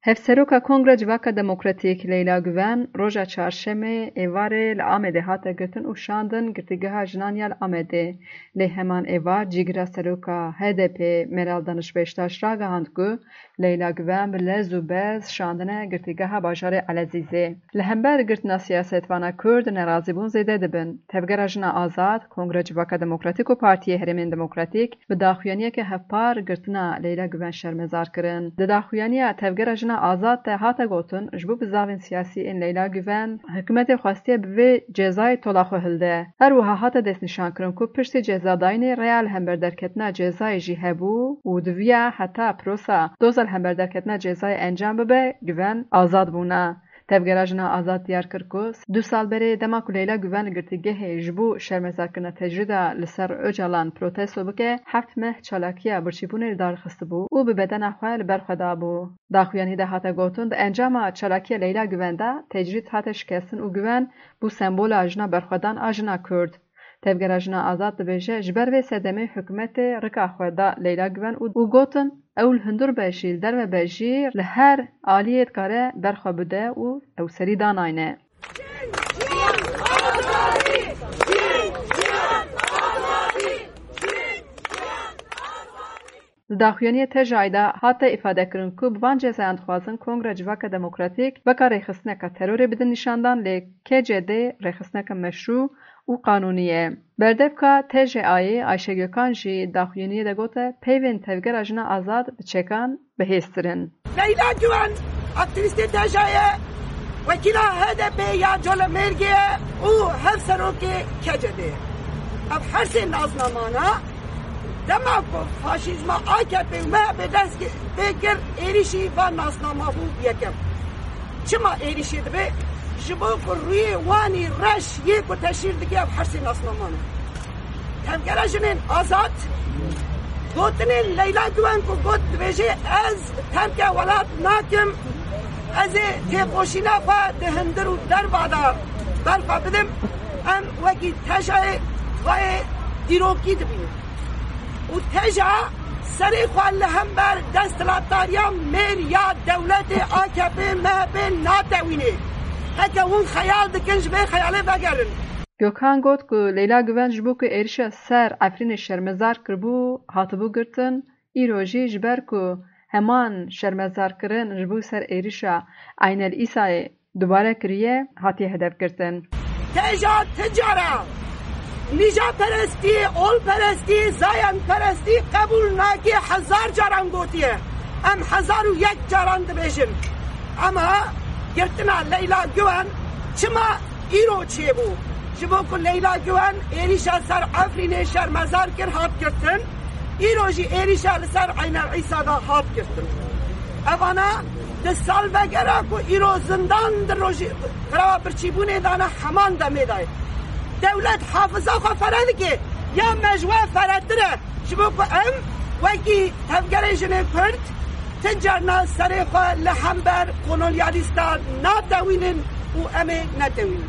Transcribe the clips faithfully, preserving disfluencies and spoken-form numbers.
Hevseroka Kongre Civaka Demokratîk Leyla Guven roja çarşemê êvarê li Amedê hate girtin û şandin girtîgeha jinan ya li Amedê. Lê heman êvar cîgira seroka H D P Meral Danış Beştaş ragihand ku Leyla Guven bi lez û bez şandine girtîgeha bajarê Elezîzê. Li hember girtina siyasetvana Kurd nerazîbûn zêde dibin. Tevgera Jina Azad, Kongre Civaka Demokratîk û Partiyê Herêmên Demokratîk bi daxuyaniyeke hevpar girtina Leyla Guven şermezar kirin. Di daxuyaniya Tevgera Jina Azad de hate gotin, ji bo bizavên siyasî ên Leyla Guven, hikûmetê xwestiye bi vê cezayê tola xwe hilde. Her wiha hate destnîşankirin ku piştî cezadayînê rêya li hember derketina cezayê jî hebû û diviya heta prosa doza li hember derketina cezayê encam bibe, Guven azad bûna. Tevgera Jina Azad diyar kir ku du sal berê dema ku Leyla Guven li girtîgehê ji bo şermezarkirina tecrîda li ser Ocalan protesto bike, heft meh çalakiya birçîbûnê li dar xistibû û bi bedena xwe li ber xwe dabû. Daxuyanî de hate gotin, di encama çalakiya Leyla Guven de tecrîd hate şikestin û Guven bû sembola jina berxwedan a jina Kurd. Tevgera Jina Azad dibêje, ji ber vê sedemê hikûmetê rika xwe da Leyla Guven û, û gotin, ew li hundir be jî, li derve be jî, li her aliyê dikare ber xwe bide û ew serî danayne. Di daxuyaniyê T J A de hate îfadekirin ku bi van cezayan dixwazin Kongre Civaka Demokratîk weka rêxistineka terorê bidin nîşandan, lê K C D rêxistineke meşrû û qanûnî ye. Berdevka T J Ayê Ayşe Gökhan jî daxuyaniyê de gote, peyvên Tevgera Jina Azad bi çekan bihêztir in. Leyla Güven, aktîvîstê T J Ayê, wekîla H D P ya Colemêrgê ye û hevserokê K C D ye. Ev her sê naznamana dema ku faşîzma A K P û M H P dest pê kir, êrîşî van nasnama bû yekem. Çima êrîşê dibe? Ji bo ku rûyê wanî reş yê ku teşhîr dike ev her sê nasnaman e. Tevgera Jinên Azad gotinên Leyla Güven ku got, dibêje, ez terke welat nakim, ez ê têkoşîna xwe di hundir û derva de berxwe bidim, em wekî T J Ayê xwe yê dîrokî dibînin. Û T J A serê xwe li hember desthilatdariya mêr ya dewletê A K P M H P natewîne. Heke hûn xeyal dikin, ji vê xeyalê vegerin. Gökhan got ku Leyla Güven ji bo ku êrişa ser Efrînê şermezar kiribû, hatibû girtin, îro jî ji ber ku heman şermezarkirin ji bo ser êrişa Eynel Îsayê dubare kiriye, hatiye hedefgirtin. T J A ti cara nîjadperestî, olperestî, zayendperestî qebûl nake, hezar caran gotiye. Em hezar û yek caran dibêjin. Ama girtina Leyla Güven çima îro çêbû? Ji bo ku Leyla Güven êrîşa ser Efrînê şermezar kir, hat girtin. Îro jî êrîşa li ser Eynel Îsa de hat girtin. Evana di salvegera ku îro zindan di rojî qirava birçîbûnê de ne, heman demê de ye. Dewlet hafiza xwe fere dike, ya me ji we feretir e, ji bo ku em wekî Tevgerê Jinên Kurd ti carna serê xwe li hember kolonyalîstan natewînin û em ê netewînin.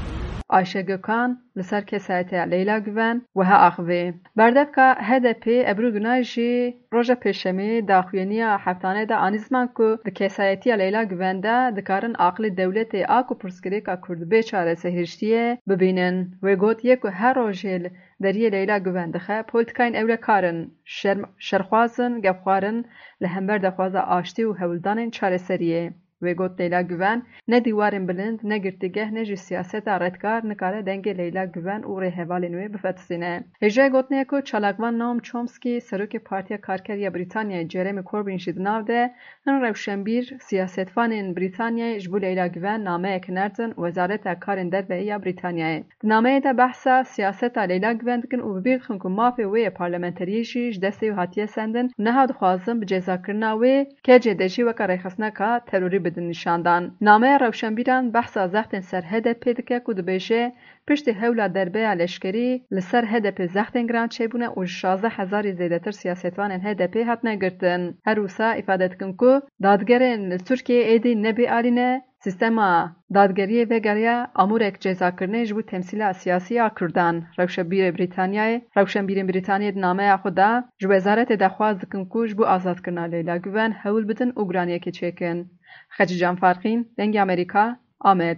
Ayşe Gökhan li ser kesayetiya Leyla Güven wiha axivê. Berdevka H D P Ebru Günay jî roja Pêşemê daxuyaniya heftane de anî ziman ku di kesayetiya Leyla Güven de dikarin aqilê dewletê a ku pirsgirêka Kurd bê çarese hiştiye bibînin. Wê got, yê ku her rojê li deriyê Leyla Güven dixe, polîtikayên ewlekar in, şer-, şerxwaz in, gefxwar in li hember daxwaza aştî û hewldanên çareseriyê. Wê got, Leyla Guven ne dîwarên bilind, ne girtîgeh, ne jî siyaseta redkar nikare dengê Leyla Guven û rêhevalên wê bifetisîne. Hêjayê gotinê ye ku çalakvan Noam Chomsky, serokê Partiya Karker ya Brîtanyayê, Jeremy Corbyn jî di nav de hin rewşenbîr, siyasetvanên Brîtanyayê ji bo Leyla Guven nameyek nertin Wezareta Karên Derve ya Brîtanyayê. Di nameyê de behsa siyaseta Leyla Guven dikin û bi bîr dixin ku mafê wê yê parlamenteriyê jî ji destê wê hatiye sendin û niha dixwazin bi cezakirina wê K C D jî weke rêxistineka terorî bidin nîşandan. Nameya rewşenbîran behsa zextên ser H D P dike ku dibêje, piştî hewla derbeya leşkerî li ser H D P zextên giran çêbûne û ji şazdeh hezarî zêdetir siyasetvanên H D P hatine girtin. Her wisa îfade dikin ku dadgerên li Tirkiyeyê êdî ne bêalî ne, sîstema dadgeriyê vegeriya amûrek cezakirinê ji bo temsîla siyasî ya Kurdan. Rewşenbîrê Brîtanyayê, rewşenbîrên Brîtanyayê di nameya xwe de ji wezaretê de xwaz dikin ku ji bo azadkirina Leyla Guven hewl bidin û guraniyekê çêkin. Xecîcan Farqîn, Dengê Amerîka, Amed.